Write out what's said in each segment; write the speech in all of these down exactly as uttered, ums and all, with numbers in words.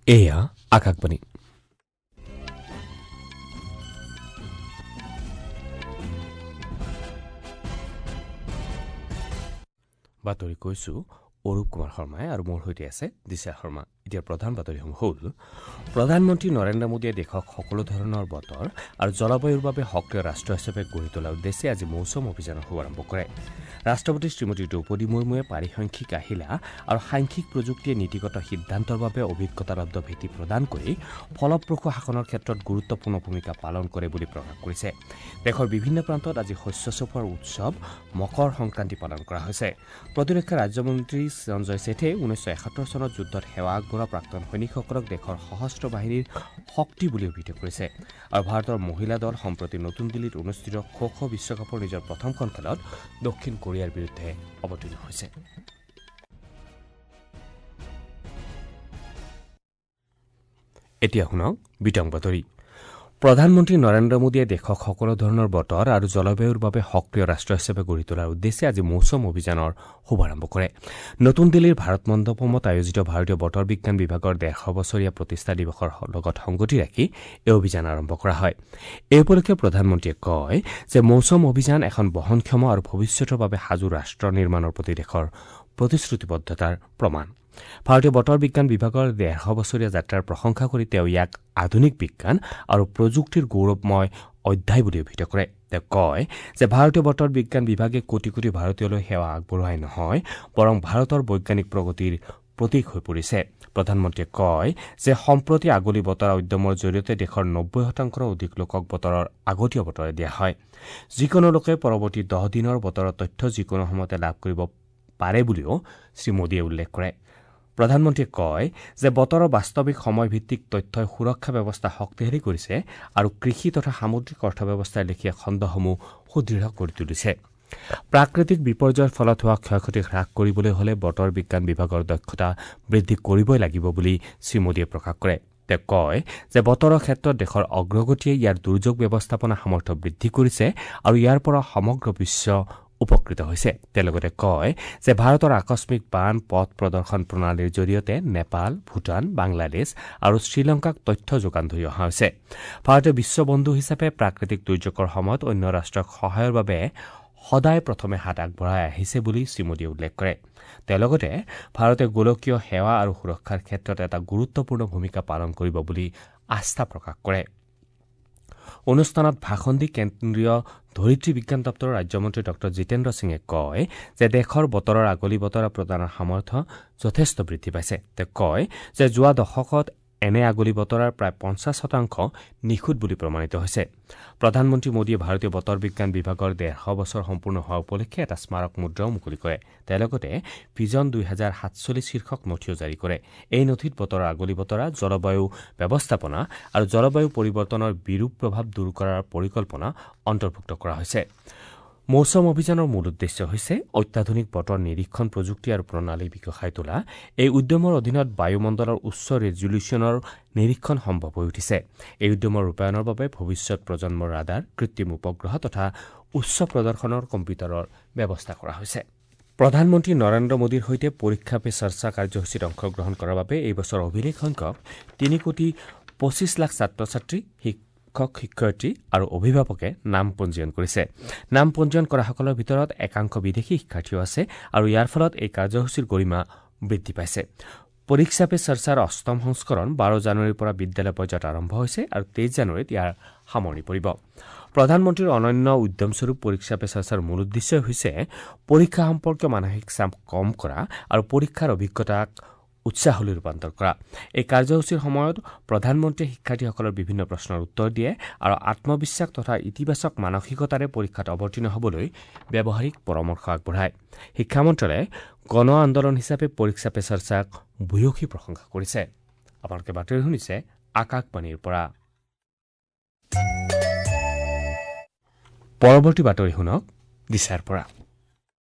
এয়া আকাশবাণী। বাতৰি কৈছো অৰূপ কুমাৰ শৰ্মাই আৰু মোৰ সৈতে আছে দিশা শৰ্মা। এতিয়া প্ৰধান বাতৰিসমূহ হ'ল: প্ৰধানমন্ত্ৰী নৰেন্দ্ৰ মোদীয়ে দেশক সকলো ধৰণৰ বতৰ আৰু জলবায়ুৰ বাবে সক্ৰিয় ৰাষ্ট্ৰ হিচাপে গঢ়ি তোলাৰ উদ্দেশ্যে আজি মৌচম অভিযানৰ শুভাৰম্ভ কৰে। ৰাষ্ট্ৰপতি শ্ৰীমতী দ্ৰৌপদী মুৰ্মুৱে পাৰিসাংখ্যিক আহিলা আৰু সাংখ্যিক প্ৰযুক্তিয়ে নীতিগত সিদ্ধান্তৰ বাবে অভিজ্ঞতালব্ধ ভেটি প্ৰদান কৰি ফলপ্ৰসূ শাসনৰ ক্ষেত্ৰত গুৰুত্বপূৰ্ণ ভূমিকা পালন কৰে বুলি প্ৰকাশ কৰিছে। দেশৰ বিভিন্ন প্ৰান্তত আজি শস্য চপোৱাৰ উৎসৱ মকৰ সংক্ৰান্তি পালন কৰা হৈছে। প্ৰতিৰক্ষা ৰাজ্যমন্ত্ৰী সঞ্জয় শেঠে ঊনৈছশ এসত্তৰ চনত যুদ্ধত সেৱা আগবঢ়োৱা প্ৰাক্তন সৈনিকসকলক দেশৰ সশস্ত্ৰ বাহিনীৰ শক্তি বুলি অভিহিত কৰিছে। আৰু ভাৰতৰ মহিলা দল সম্প্ৰতি নতুন দিল্লীত অনুষ্ঠিত খো খো বিশ্বকাপৰ নিজৰ প্ৰথমখন খেলত দক্ষিণ কোৰিয়াৰ বিৰুদ্ধে অৱতীৰ্ণ হৈছে। এতিয়া শুনক বিতং বাতৰি। প্ৰধানমন্ত্ৰী নৰেন্দ্ৰ মোদীয়ে দেশক সকলো ধৰণৰ বতৰ আৰু জলবায়ুৰ বাবে সক্ৰিয় ৰাষ্ট্ৰ হিচাপে গঢ়ি তোলাৰ উদ্দেশ্যে আজি মৌচম অভিযানৰ শুভাৰম্ভ কৰে। নতুন দিল্লীৰ ভাৰত মণ্ডপমত আয়োজিত ভাৰতীয় বতৰ বিজ্ঞান বিভাগৰ ডেৰশ বছৰীয়া প্ৰতিষ্ঠা দিৱসৰ লগত সংগতি ৰাখি এই অভিযান আৰম্ভ কৰা হয়। এই উপলক্ষে প্ৰধানমন্ত্ৰীয়ে কয় যে মৌচম অভিযান এখন বহনক্ষম আৰু ভৱিষ্যতৰ বাবে সাজু ৰাষ্ট্ৰ নিৰ্মাণৰ প্ৰতি দেশৰ প্ৰতিশ্ৰুতিবদ্ধতাৰ প্ৰমাণ। ভাৰতীয় বতৰ বিজ্ঞান বিভাগৰ ডেৰশ বছৰীয়া যাত্ৰাৰ প্ৰশংসা কৰি তেওঁ ইয়াক আধুনিক বিজ্ঞান আৰু প্ৰযুক্তিৰ গৌৰৱময় অধ্যায় বুলি অভিহিত কৰে। তেওঁ কয় যে ভাৰতীয় বতৰ বিজ্ঞান বিভাগে কোটি কোটি ভাৰতীয়লৈ সেৱা আগবঢ়োৱাই নহয়, বৰং ভাৰতৰ বৈজ্ঞানিক প্ৰগতিৰ প্ৰতীক হৈ পৰিছে। প্ৰধানমন্ত্ৰীয়ে কয় যে সম্প্ৰতি আগলি বতৰা উদ্যমৰ জৰিয়তে দেশৰ নব্বৈ শতাংশৰো অধিক লোকক বতৰৰ আগতীয়া বতৰা দিয়া হয়। যিকোনো লোকে পৰৱৰ্তী দহ দিনৰ বতৰৰ তথ্য যিকোনো সময়তে লাভ কৰিব পাৰে বুলিও শ্ৰীমোদীয়ে উল্লেখ কৰে। প্ৰধানমন্ত্ৰীয়ে কয় যে বতৰৰ বাস্তৱিক সময়ভিত্তিক তথ্যই সুৰক্ষা ব্যৱস্থা শক্তিশালী কৰিছে আৰু কৃষি তথা সামুদ্ৰিক অৰ্থব্যৱস্থাৰ লেখীয়া খণ্ডসমূহ সুদৃঢ় কৰি তুলিছে। প্ৰাকৃতিক বিপৰ্যয়ৰ ফলত হোৱা ক্ষয়ক্ষতি হ্ৰাস কৰিবলৈ হলে বতৰ বিজ্ঞান বিভাগৰ দক্ষতা বৃদ্ধি কৰিবই লাগিব বুলি শ্ৰীমোদীয়ে প্ৰকাশ কৰে। তেওঁ কয় যে বতৰৰ ক্ষেত্ৰত দেশৰ অগ্ৰগতিয়ে ইয়াৰ দুৰ্যোগ ব্যৱস্থাপনা সামৰ্থ্য বৃদ্ধি কৰিছে আৰু ইয়াৰ পৰা সমগ্ৰ বিশ্ব উপকৃত হৈছে। তেওঁ লগতে কয় যে ভাৰতৰ আকস্মিক বান পথ প্ৰদৰ্শন প্ৰণালীৰ জৰিয়তে নেপাল, ভূটান, বাংলাদেশ আৰু শ্ৰীলংকাক তথ্য যোগান ধৰি অহা হৈছে। ভাৰতে বিশ্ববন্ধু হিচাপে প্ৰাকৃতিক দুৰ্যোগৰ সময়ত অন্য ৰাষ্ট্ৰক সহায়ৰ বাবে সদায় প্ৰথমে হাত আগবঢ়াই আহিছে বুলি শ্ৰীমোদীয়ে উল্লেখ কৰে। তেওঁ লগতে ভাৰতে গোলকীয় সেৱা আৰু সুৰক্ষাৰ ক্ষেত্ৰত এটা গুৰুত্বপূৰ্ণ ভূমিকা পালন কৰিব বুলি আস্থা প্ৰকাশ কৰে। অনুষ্ঠানত ভাষণ দি কেন্দ্ৰীয় ধৰিত্ৰী বিজ্ঞান দপ্তৰৰ ৰাজ্যমন্ত্ৰী ডঃ জিতেন্দ্ৰ সিঙে কয় যে দেশৰ বতৰৰ আগলি বতৰা প্ৰদানৰ সামৰ্থ্য যথেষ্ট বৃদ্ধি পাইছে। তেওঁ কয় যে যোৱা দশকত এনে আগলি বতৰাৰ প্ৰায় পঞ্চাছ শতাংশ নিখুঁত বুলি প্ৰমাণিত হৈছে। প্ৰধানমন্ত্ৰী মোদীয়ে ভাৰতীয় বতৰ বিজ্ঞান বিভাগৰ ডেৰশ বছৰ সম্পূৰ্ণ হোৱা উপলক্ষে এটা স্মাৰক মুদ্ৰাও মুকলি কৰে। তেওঁ লগতে ভিজন দুই হাজাৰ সাতচল্লিছ শীৰ্ষক নথিও জাৰি কৰে। এই নথিত বতৰৰ আগলি বতৰা, জলবায়ু ব্যৱস্থাপনা আৰু জলবায়ু পৰিৱৰ্তনৰ বিৰূপ প্ৰভাৱ দূৰ কৰাৰ পৰিকল্পনা অন্তৰ্ভুক্ত কৰা হৈছে। মৌচম অভিযানৰ মূল উদ্দেশ্য হৈছে অত্যাধুনিক বতৰ নিৰীক্ষণ প্ৰযুক্তি আৰু প্ৰণালী বিকশাই তোলা। এই উদ্যমৰ অধীনত বায়ুমণ্ডলৰ উচ্চ ৰেজলিউশ্যনৰ নিৰীক্ষণ সম্ভৱ হৈ উঠিছে। এই উদ্যমৰ ৰূপায়ণৰ বাবে ভৱিষ্যত প্ৰজন্মৰ ৰাডাৰ, কৃত্ৰিম উপগ্ৰহ তথা উচ্চ প্ৰদৰ্শনৰ কম্পিউটাৰৰ ব্যৱস্থা কৰা হৈছে। প্ৰধানমন্ত্ৰী নৰেন্দ্ৰ মোদীৰ সৈতে পৰীক্ষা পে চৰ্চা কাৰ্যসূচীত অংশগ্ৰহণ কৰাৰ বাবে এই বছৰ অভিলেখ সংখ্যক তিনি কোটি পঁচিছ লাখ ছাত্ৰ ছাত্ৰী, শিক্ষক শিক্ষয়িত্ৰী আৰু অভিভাৱকে নাম পঞ্জীয়ন কৰিছে। নাম পঞ্জীয়ন কৰাসকলৰ ভিতৰত একাংশ বিদেশী শিক্ষাৰ্থীও আছে আৰু ইয়াৰ ফলত এই কাৰ্যসূচীৰ গৰিমা বৃদ্ধি পাইছে। পৰীক্ষা পে চৰ্চাৰ অষ্টম সংস্কৰণ বাৰ জানুৱাৰীৰ পৰা বিদ্যালয় পৰ্যায়ত আৰম্ভ হৈছে আৰু তেইছ জানুৱাৰীত ইয়াৰ সামৰণি পৰিব। প্ৰধানমন্ত্ৰীৰ অনন্য উদ্যমস্বৰূপ পৰীক্ষা পে চৰ্চাৰ মূল উদ্দেশ্য হৈছে পৰীক্ষা সম্পৰ্কীয় মানসিক চাপ কম কৰা আৰু পৰীক্ষাৰ অভিজ্ঞতাক উৎসাহলৈ ৰূপান্তৰ কৰা। এই কাৰ্যসূচীৰ সময়ত প্ৰধানমন্ত্ৰীয়ে শিক্ষাৰ্থীসকলৰ বিভিন্ন প্ৰশ্নৰ উত্তৰ দিয়ে আৰু আত্মবিশ্বাস তথা ইতিবাচক মানসিকতাৰে পৰীক্ষাত অৱতীৰ্ণ হ'বলৈ ব্যৱহাৰিক পৰামৰ্শ আগবঢ়ায়। শিক্ষা মন্ত্ৰালয়ে গণ আন্দোলন হিচাপে পৰীক্ষা পে চৰ্চাক ভূয়সী প্ৰশংসা কৰিছে। আপোনালোকে বাতৰি শুনিছে আকাশবাণীৰ পৰা। পৰৱৰ্তী বাতৰি শুনক দিশাৰ পৰা।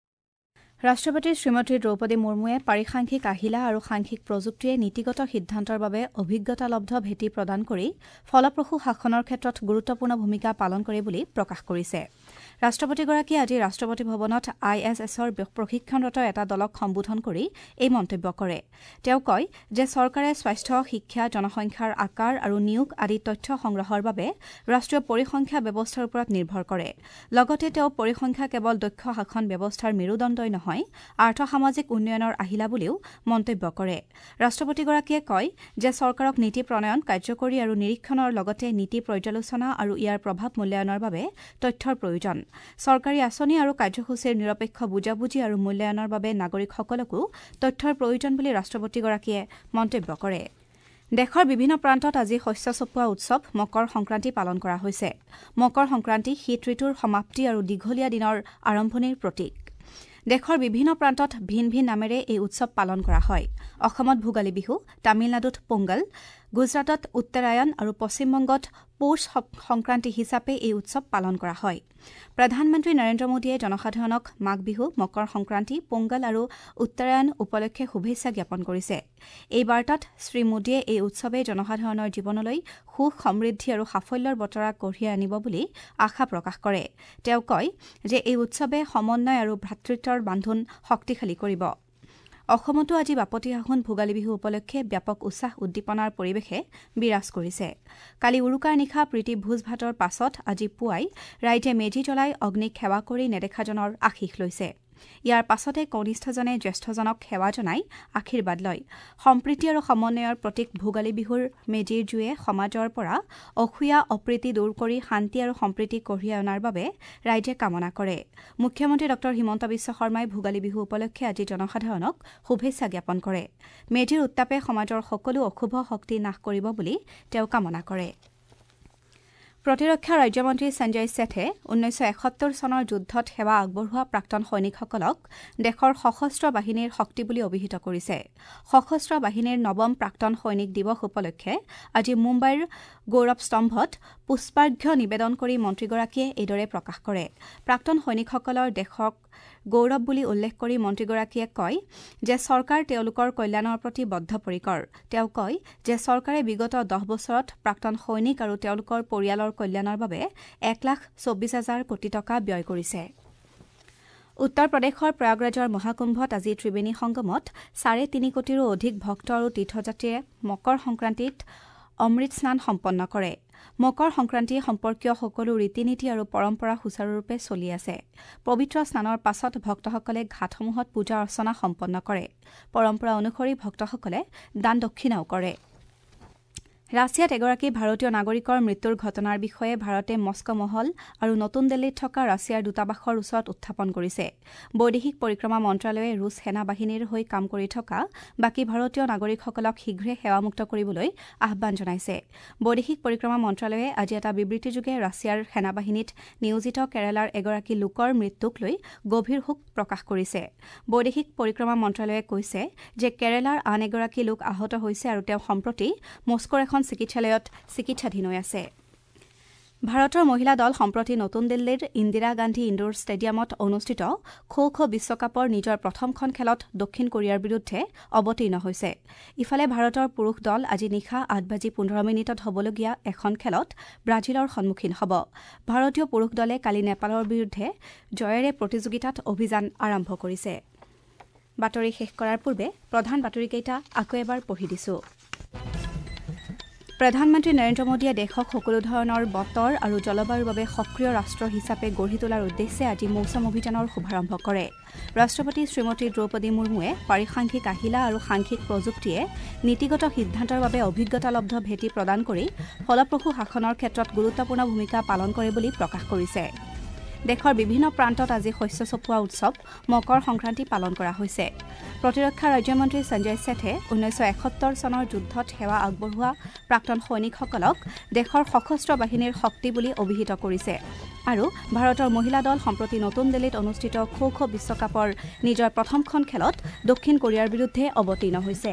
ৰাষ্ট্ৰপতি শ্ৰীমতী দ্ৰৌপদী মুৰ্মুৱে পাৰিসাংখ্যিক আহিলা আৰু সাংখ্যিক প্ৰযুক্তিয়ে নীতিগত সিদ্ধান্তৰ বাবে অভিজ্ঞতালব্ধ ভেটি প্ৰদান কৰি ফলপ্ৰসূ শাসনৰ ক্ষেত্ৰত গুৰুত্বপূৰ্ণ ভূমিকা পালন কৰে বুলি প্ৰকাশ কৰিছে। ৰাষ্ট্ৰপতিগৰাকীয়ে আজি ৰাষ্ট্ৰপতি ভৱনত I S এছৰ প্ৰশিক্ষণৰত এটা দলক সম্বোধন কৰি এই মন্তব্য কৰে। তেওঁ কয় যে চৰকাৰে স্বাস্থ্য, শিক্ষা, জনসংখ্যাৰ আকাৰ আৰু নিয়োগ আদি তথ্য সংগ্ৰহৰ বাবে ৰাষ্ট্ৰীয় পৰিসংখ্যা ব্যৱস্থাৰ ওপৰত নিৰ্ভৰ কৰে। লগতে তেওঁ পৰিসংখ্যা কেৱল দক্ষ শাসন ব্যৱস্থাৰ মেৰুদণ্ডই নহয়, আৰ্থসামাজিক উন্নয়নৰ আহিলা বুলিও মন্তব্য কৰে। ৰাষ্ট্ৰপতিগৰাকীয়ে কয় যে চৰকাৰক নীতি প্ৰণয়ন, কাৰ্যকৰী আৰু নিৰীক্ষণৰ লগতে নীতি পৰ্যালোচনা আৰু ইয়াৰ প্ৰভাৱ মূল্যায়নৰ বাবে তথ্যৰ প্ৰয়োজন। চৰকাৰী আঁচনি আৰু কাৰ্যসূচীৰ নিৰপেক্ষ বুজাবুজি আৰু মূল্যায়নৰ বাবে নাগৰিকসকলকো তথ্যৰ প্ৰয়োজন বুলি ৰাষ্ট্ৰপতিগৰাকীয়ে মন্তব্য কৰে। দেশৰ বিভিন্ন প্ৰান্তত আজি শস্য চপোৱা উৎসৱ মকৰ সংক্ৰান্তি পালন কৰা হৈছে। মকৰ সংক্ৰান্তি শীত ঋতুৰ সমাপ্তি আৰু দীঘলীয়া দিনৰ আৰম্ভণিৰ প্ৰতীক। দেশৰ বিভিন্ন প্ৰান্তত ভিন ভিন নামেৰে এই উৎসৱ পালন কৰা হয়। অসমত ভোগালী বিহু, তামিলনাডুত পোংগল, গুজৰাটত উত্তৰায়ণ আৰু পশ্চিমবংগত পৌষ সংক্ৰান্তি হিচাপে এই উৎসৱ পালন কৰা হয়। প্ৰধানমন্ত্ৰী নৰেন্দ্ৰ মোদীয়ে জনসাধাৰণক মাঘ বিহু, মকৰ সংক্ৰান্তি, পোংগল আৰু উত্তৰায়ণ উপলক্ষে শুভেচ্ছা জ্ঞাপন কৰিছে। এই বাৰ্তাত শ্ৰীমোদীয়ে এই উৎসৱে জনসাধাৰণৰ জীৱনলৈ সুখ, সমৃদ্ধি আৰু সাফল্যৰ বতৰা কঢ়িয়াই আনিব বুলি আশা প্ৰকাশ কৰে। তেওঁ কয় যে এই উৎসৱে সমন্বয় আৰু ভ্ৰাতৃত্বৰ বান্ধোন শক্তিশালী কৰিব। অসমতো আজি বাপতিসাহোন ভোগালী বিহু উপলক্ষে ব্যাপক উৎসাহ উদ্দীপনাৰ পৰিৱেশে বিৰাজ কৰিছে। কালি উৰুকাৰ নিশা প্ৰীতি ভোজ ভাতৰ পাছত আজি পুৱাই ৰাইজে মেজি জ্বলাই অগ্নিক সেৱা কৰি নেদেখাজনৰ আশীষ লৈছে। ইয়াৰ পাছতে কনিষ্ঠজনে জ্যেষ্ঠজনক সেৱা জনাই আশীৰ্বাদ লয়। সম্প্ৰীতি আৰু সমন্বয়ৰ প্ৰতীক ভোগালী বিহুৰ মেজিৰ জুয়ে সমাজৰ পৰা অসূয়া, অপ্ৰীতি দূৰ কৰি শান্তি আৰু সম্প্ৰীতি কঢ়িয়াই অনাৰ বাবে ৰাইজে কামনা কৰে। মুখ্যমন্ত্ৰী ডঃ হিমন্ত বিশ্ব শৰ্মাই ভোগালী বিহু উপলক্ষে আজি জনসাধাৰণক শুভেচ্ছা জ্ঞাপন কৰে। মেজিৰ উত্তাপে সমাজৰ সকলো অশুভ শক্তি নাশ কৰিব বুলি তেওঁ কামনা কৰে। প্ৰতিৰক্ষা ৰাজ্যমন্ত্ৰী সঞ্জয় ছেঠে ঊনৈছশ এসত্তৰ চনৰ যুদ্ধত সেৱা আগবঢ়োৱা প্ৰাক্তন সৈনিকসকলক দেশৰ সশস্ত্ৰ বাহিনীৰ শক্তি বুলি অভিহিত কৰিছে। সশস্ত্ৰ বাহিনীৰ নৱম প্ৰাক্তন সৈনিক দিৱস উপলক্ষে আজি মুম্বাইৰ গৌৰৱ স্তম্ভত পুষ্পাৰ্ঘ্য নিবেদন কৰি মন্ত্ৰীগৰাকীয়ে এইদৰে প্ৰকাশ কৰে। প্ৰাক্তন সৈনিকসকলৰ দেশক গৌৰৱ বুলি উল্লেখ কৰি মন্ত্ৰীগৰাকীয়ে কয় যে চৰকাৰ তেওঁলোকৰ কল্যাণৰ প্ৰতি বদ্ধপৰিকৰ। তেওঁ কয় যে চৰকাৰে বিগত দহ বছৰত প্ৰাক্তন সৈনিক আৰু তেওঁলোকৰ পৰিয়ালৰ কল্যাণৰ বাবে এক লাখ চৌবিশ হাজাৰ কোটি টকা ব্যয় কৰিছে। উত্তৰ প্ৰদেশৰ প্ৰয়াগৰাজৰ মহাকুম্ভত আজি ত্ৰিবেণী সংগমত চাৰে তিনি কোটিৰো অধিক ভক্ত আৰু তীৰ্থযাত্ৰীয়ে মকৰ সংক্ৰান্তিত অমৃত স্নান সম্পন্ন কৰে। মকৰ সংক্ৰান্তি সম্পৰ্কীয় সকলো ৰীতি নীতি আৰু পৰম্পৰা সুচাৰুৰূপে চলি আছে। পবিত্ৰ স্নানৰ পাছত ভক্তসকলে ঘাটসমূহত পূজা অৰ্চনা সম্পন্ন কৰে। পৰম্পৰা অনুসৰি ভক্তসকলে দান দক্ষিণাও কৰে। ৰাছিয়াত এগৰাকী ভাৰতীয় নাগৰিকৰ মৃত্যুৰ ঘটনাৰ বিষয়ে ভাৰতে মস্কো মহল আৰু নতুন দিল্লীত থকা ৰাছিয়াৰ দূতাবাসৰ ওচৰত উত্থাপন কৰিছে। বৈদেশিক পৰিক্ৰমা মন্ত্ৰালয়ে ৰুছ সেনা বাহিনীৰ হৈ কাম কৰি থকা বাকী ভাৰতীয় নাগৰিকসকলক শীঘ্ৰে সেৱামুক্ত কৰিবলৈ আহ্বান জনাইছে। বৈদেশিক পৰিক্ৰমা মন্ত্ৰালয়ে আজি এটা বিবৃতিযোগে ৰাছিয়াৰ সেনাবাহিনীত নিয়োজিত কেৰালাৰ এগৰাকী লোকৰ মৃত্যুক লৈ গভীৰ শোক প্ৰকাশ কৰিছে। বৈদেশিক পৰিক্ৰমা মন্ত্ৰালয়ে কৈছে যে কেৰালাৰ আন এগৰাকী লোক আহত হৈছে আৰু তেওঁ সম্প্ৰতি মস্কোৰ এখন চিকিৎসালয়ত চিকিৎসাধীন হৈ আছে। ভাৰতৰ মহিলা দল সম্প্ৰতি নতুন দিল্লীৰ ইন্দিৰা গান্ধী ইণ্ডোৰ ষ্টেডিয়ামত অনুষ্ঠিত খো খো বিশ্বকাপৰ নিজৰ প্ৰথমখন খেলত দক্ষিণ কোৰিয়াৰ বিৰুদ্ধে অৱতীৰ্ণ হৈছে। ইফালে ভাৰতৰ পুৰুষ দল আজি নিশা আঠ বাজি পোন্ধৰ মিনিটত হ'বলগীয়া এখন খেলত ব্ৰাজিলৰ সন্মুখীন হ'ব। ভাৰতীয় পুৰুষ দলে কালি নেপালৰ বিৰুদ্ধে জয়েৰে প্ৰতিযোগিতাত অভিযান আৰম্ভ কৰিছে। বাতৰি শেষ কৰাৰ পূৰ্বে প্ৰধান বাতৰিকেইটা আকৌ এবাৰ পঢ়ি দিছো। প্ৰধানমন্ত্ৰী নৰেন্দ্ৰ মোদীয়ে দেশক সকলো ধৰণৰ বতৰ আৰু জলবায়ুৰ বাবে সক্ৰিয় ৰাষ্ট্ৰ হিচাপে গঢ়ি তোলাৰ উদ্দেশ্যে আজি মৌচম অভিযানৰ শুভাৰম্ভ কৰে। ৰাষ্ট্ৰপতি শ্ৰীমতী দ্ৰৌপদী মুৰ্মুৱে পাৰিসাংখ্যিক আহিলা আৰু সাংখ্যিক প্ৰযুক্তিয়ে নীতিগত সিদ্ধান্তৰ বাবে অভিজ্ঞতালব্ধ ভেটি প্ৰদান কৰি ফলপ্ৰসূ শাসনৰ ক্ষেত্ৰত গুৰুত্বপূৰ্ণ ভূমিকা পালন কৰে বুলি প্ৰকাশ কৰিছে। দেশৰ বিভিন্ন প্ৰান্তত আজি শস্য চপোৱা উৎসৱ মকৰ সংক্ৰান্তি পালন কৰা হৈছে। প্ৰতিৰক্ষা ৰাজ্যমন্ত্ৰী সঞ্জয় ছেঠে ঊনৈছশ এসত্তৰ চনৰ যুদ্ধত সেৱা আগবঢ়োৱা প্ৰাক্তন সৈনিকসকলক দেশৰ সশস্ত্ৰ বাহিনীৰ শক্তি বুলি অভিহিত কৰিছে আৰু ভাৰতৰ মহিলা দল সম্প্ৰতি নতুন দিল্লীত অনুষ্ঠিত খো খো বিশ্বকাপৰ নিজৰ প্ৰথমখন খেলত দক্ষিণ কোৰিয়াৰ বিৰুদ্ধে অৱতীৰ্ণ হৈছে।